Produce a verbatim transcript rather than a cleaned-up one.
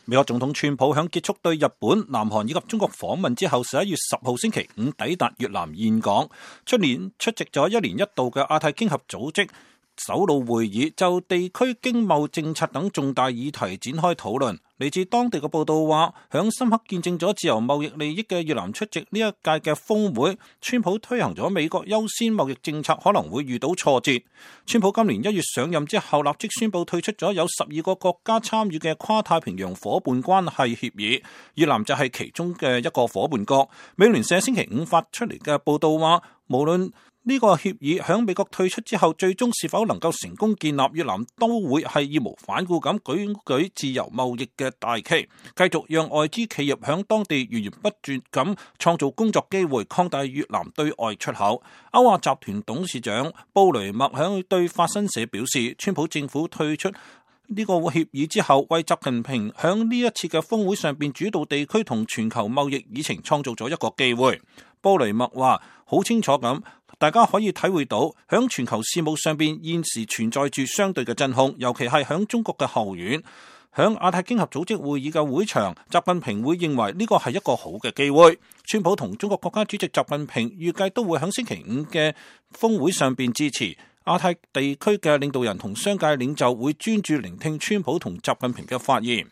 美國總統川普響結束對日本、南韓以及中國訪問之後，十一月十號星期五抵達越南峴港，出年出席咗一年一度嘅亞太經合組織首腦會議，就地區經貿政策等重大議題展開討論。嚟自當地嘅報道話，響深刻見證咗自由貿易利益嘅越南出席呢一屆嘅峰會，川普推行咗美國優先貿易政策可能會遇到挫折。川普今年一月上任之後，立即宣布退出咗有十二個國家參與嘅跨太平洋夥伴關係協議，越南就係其中嘅一個夥伴國。美聯社星期五發出嚟嘅報道話，無論呢個協議響美國退出之後，最終是否能夠成功建立，越南都會係義無反顧咁舉舉自由貿易嘅大旗，繼續讓外資企業響當地源源不絕咁創造工作機會，擴大越南對外出口。歐亞集團董事長布雷默響對法新社表示，川普政府退出呢個協議之後，為習近平響呢一次嘅峰會上邊主導地區同全球貿易議程創造咗一個機會。布雷默話好清楚咁，大家可以體會到響全球事務上邊現時存在住相對嘅真空，尤其係響中國嘅後院，響亞太經合組織會議嘅會場，習近平會認為呢個係一個好嘅機會。川普同中國國家主席習近平預計都會響星期五嘅峰會上邊支持。亞太地區嘅領導人同商界領袖會專注聆聽川普同習近平嘅發言。